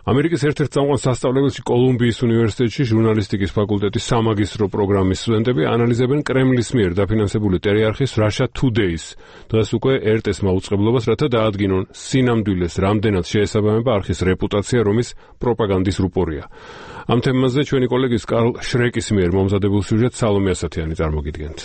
ამერიკის ერთ-ერთ წამყვან სასწავლებელში კოლუმბიის უნივერსიტეტში ჟურნალისტიკის ფაკულტეტის სამაგისტრო პროგრამის სტუდენტები ანალიზებენ კრემლის მიერ დაფინანსებული ტელეარხის Russia Today-ს დღეს უკვე ერთ-ეს მაუწყებლობას, რათა დაადგინონ სინამდვილეს რამდენად შეესაბამება არხის რეპუტაცია, რომის პროპაგანდის რუპორია. ამ თემაზე ჩვენი კოლეგის კარლ შრეკის მიერ მომზადებულ სიუჟეტს სალომე ასათიანი წარმოგიდგენთ.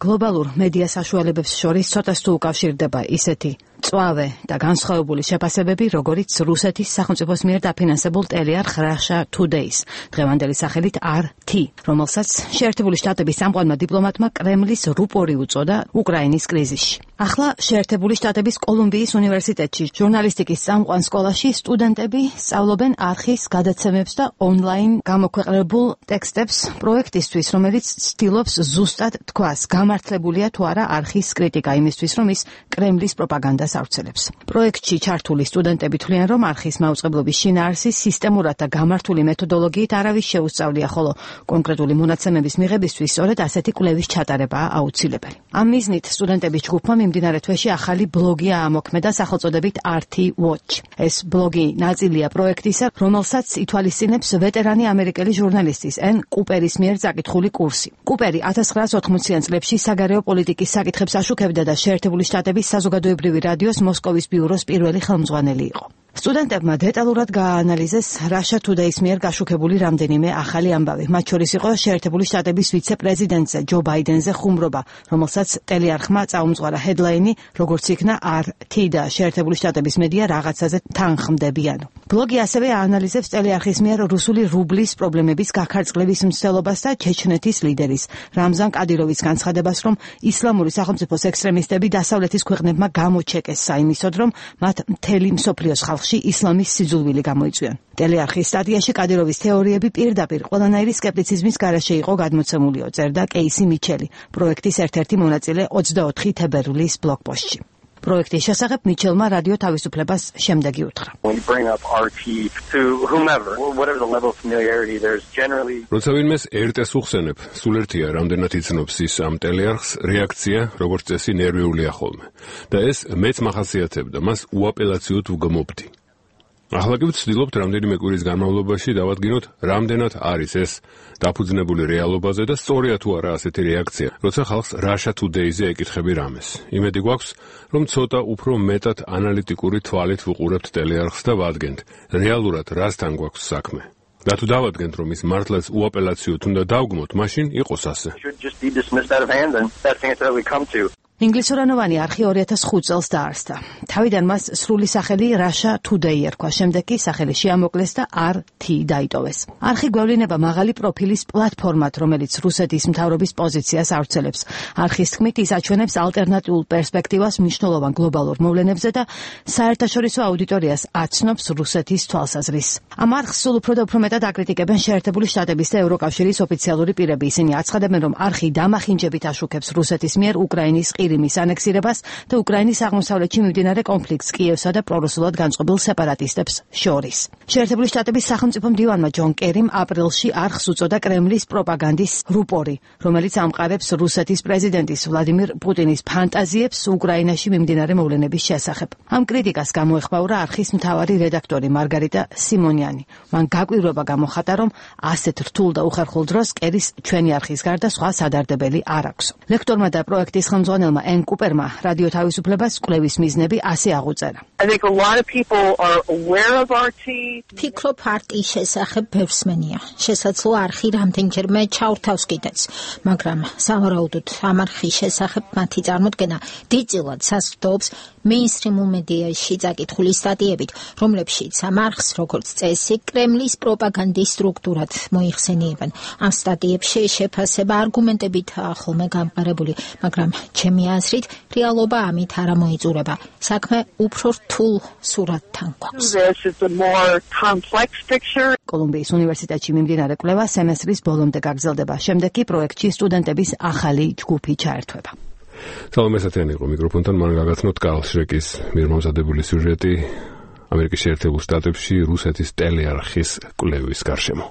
გლობალურ მედია საშუალებებს შორის ცოტას თუ უკავშირდება ისეთი წვავე და განსხვავებული შეფასებები, როგორიც რუსეთის სახელმწიფოს მიერ დაფინანსებულ ტელეარხ Russia Today-ს, დღევანდელი სახელით RT, რომელსაც შეერთებული შტატების წამყვანმა დიპლომატმა კრემლის რუპორი უწოდა უკრაინის კრიზისში. ახლა შეერთებული შტატების კოლუმბიის უნივერსიტეტში ჟურნალისტიკის წამყვან სკოლაში სტუდენტები სწავლობენ არხის გადაცემებს და ონლაინ გამოქვეყნებულ ტექსტებს პროექტისთვის, რომელიც ცდილობს ზუსტად თქვას, გამართლებულია თუ არა არხის კრიტიკა იმისთვის, რომ ის კრემლის პროპაგანდას ავრცელებს. პროექტში ჩართული სტუდენტები თვლიან, რომ არხის მაუწყებლობის შინაარსის სისტემურად და გამართული მეთოდოლოგიით არავის შეუსწავლია, ხოლო კონკრეტული მონაცემების მიღებისთვის სწორედ ასეთი კვლევის ჩატარებაა აუცილებელი. ამ მიზნით სტუდენტების ჯგუფმა მიმდინარე თვეში ახალი ბლოგი აამოქმედა სახელწოდებით RT Watch. ეს ბლოგი ნაწილია პროექტისა, რომელსაც ითვალისწინებს ვეტერანი ამერიკელი ჟურნალისტის ენ კუპერის მიერ წაკითხული კურსი. კუპერი 1980-იან წლებში საგარეო პოლიტიკის საკითხებს აშუქებდა და შეერთებული შტატების საზოგადოებრივი რადიოს მოსკოვის ბიუროს პირველი ხელმძღვანელი იყო. სტუდენტებმა დეტალურად გააანალიზეს Russia Today-ს მიერ გაშუქებული რამდენიმე ახალი ამბავი. მათ შორის იყო შეერთებული შტატების ვიცე-პრეზიდენტზე ჯო ბაიდენზე ხუმრობა, რომელსაც ტელეარხმა წაუმძღვარა ჰედლაინი, როგორც იქნა RT და შეერთებული შტატების მედია რაღაცაზე თანხმდებიან. ბლოგი ასევე აანალიზებს ტელეარხის მიერ რუსული რუბლის პრობლემების გაქარწყლების მცდელობას და ჩეჩნეთის ლიდერის რამზან კადიროვის განცხადებას, რომ ისლამური სახელმწიფოს ექსტრემისტები დასავლეთის ქვეყნებმა გამოჩეკეს საიმისოდ, რომ მათ მთელი მსოფლიოს ხალხში ისლამის სიძულვილი გამოიწვიონ. ტელეარხის სტატიაში კადიროვის თეორიები პირდაპირ ყველანაირი სკეპტიციზმის გარეშე იყო გადმოცემულიო, წერდა კეისი მიჩელი, პროექტის ერთ-ერთი მონაწილე 24 თებერვლის ბლოგპოსტში. პროექტის შესახებ მიჩელმა რადიო თავისუფლებას შემდეგი უთხრა. როცა ვინმეს ერთ-ეს უხსენებ, სულ ერთია რამდენად იცნობს ის ამ ტელეარხს, რეაქცია, როგორც წესი, ნერვიულია ხოლმე. და ეს მეც მახასიათებდა, მას უაპელაციოდ ვგმობდი. ახლა კი ვცდილობთ რამდენიმე კვირის განმავლობაში დავადგინოთ, რამდენად არის ეს დაფუძნებული რეალობაზე და სწორია თუ არა ასეთი რეაქცია, როცა ხალხს Russia Today-ზე ეკითხები რამეს. იმედი გვაქვს, რომ ცოტა უფრო მეტად ანალიტიკური თვალით ვუყურებთ ტელეარხს და ვადგენთ, რეალურად რასთან გვაქვს საქმე. და თუ დავადგენთ, რომ ის მართლაც უაპელაციოდ უნდა დავგმოთ, მაშინ იყოს ასე. ინგლისურენოვანი არხი 2005 წელს დაარსდა. თავიდან მას სრული სახელი Russia Today ერქვა, შემდეგ კი სახელი შეამოკლეს და RT დაიტოვეს. არხი გვევლინება მაღალი პროფილის პლატფორმად, რომელიც რუსეთის მთავრობის პოზიციას ავრცელებს. არხის თქმით, ის აჩვენებს ალტერნატიულ პერსპექტივას მნიშვნელოვან გლობალურ მოვლენებზე და საერთაშორისო აუდიტორიას აცნობს რუსეთის თვალსაზრისს. ამ არხს სულ უფრო და უფრო მეტად აკრიტიკებენ შეერთებული შტატების და ევროკავშირის ოფიციალური პირები. ისინი აცხადებენ, რომ არხი დამახინჯებით აშუქებს რუსეთის მიერ უკრაინის ყირიმის ანექსირებას და უკრაინის აღმოსავლეთში მიმდინარე კონფლიქტს კიევსა და პრორუსულად განწყობილ სეპარატისტებს შორის. შეერთებული შტატების სახელმწიფო მდივანმა ჯონ კერიმ აპრილში არხს უწოდა კრემლის პროპაგანდის რუპორი, რომელიც ამყარებს რუსეთის პრეზიდენტის ვლადიმირ პუტინის ფანტაზიებს უკრაინაში მიმდინარე მოვლენების შესახებ. ამ კრიტიკას გამოეხმაურა არხის მთავარი რედაქტორი მარგარიტა სიმონიანი. მან გაკვირვება გამოხატა, რომ ასეთ რთულ და უხერხულ დროს კერის ჩვენი არხის გარდა სხვა სადარდებელი არ აქვს. ლექტორმა და პროექტის ხელმძღვანელმა ენ კუპერმა რადიო თავისუფლებას კვლევის მიზნები ასე აღუწერა. ფიქრობ RT-ის შესახებ ბევრსმენია. შესაძლოა არხი რამდენჯერმე ჩაურთავს კიდეც, მაგრამ სავარაუდოდ ამ არხის შესახებ მათი წარმოდგენა დიდწილად საზრდოობს მეინსტრიმულ მედიაში წაკითხული სტატიებით, რომლებშიც ამ არხს, როგორც წესი, კრემლის პროპაგანდის სტრუქტურად მოიხსენიებენ. ამ სტატიებში შეფასება არგუმენტებითაა ხოლმე გამყარებული, მაგრამ ჩემი აზრით, რეალობა ამით არ მოიწურება. საქმე უფრო რთულ სურათთან გვაქვს. კოლუმბიის უნივერსიტეტში მიმდინარე კვლევა სემესტრის ბოლომდე გაგრძელდება. შემდეგ კი პროექტში სტუდენტების ახალი ჯგუფი ჩაერთვება. სალომე ასათიანი იყო მიკროფონთან, მან გაგაცნოთ კარლ შრეკის მიერ მომზადებული სიუჟეტი ამერიკის შეერთებულ შტატებში რუსეთის ტელეარხის კვლევის გარშემო.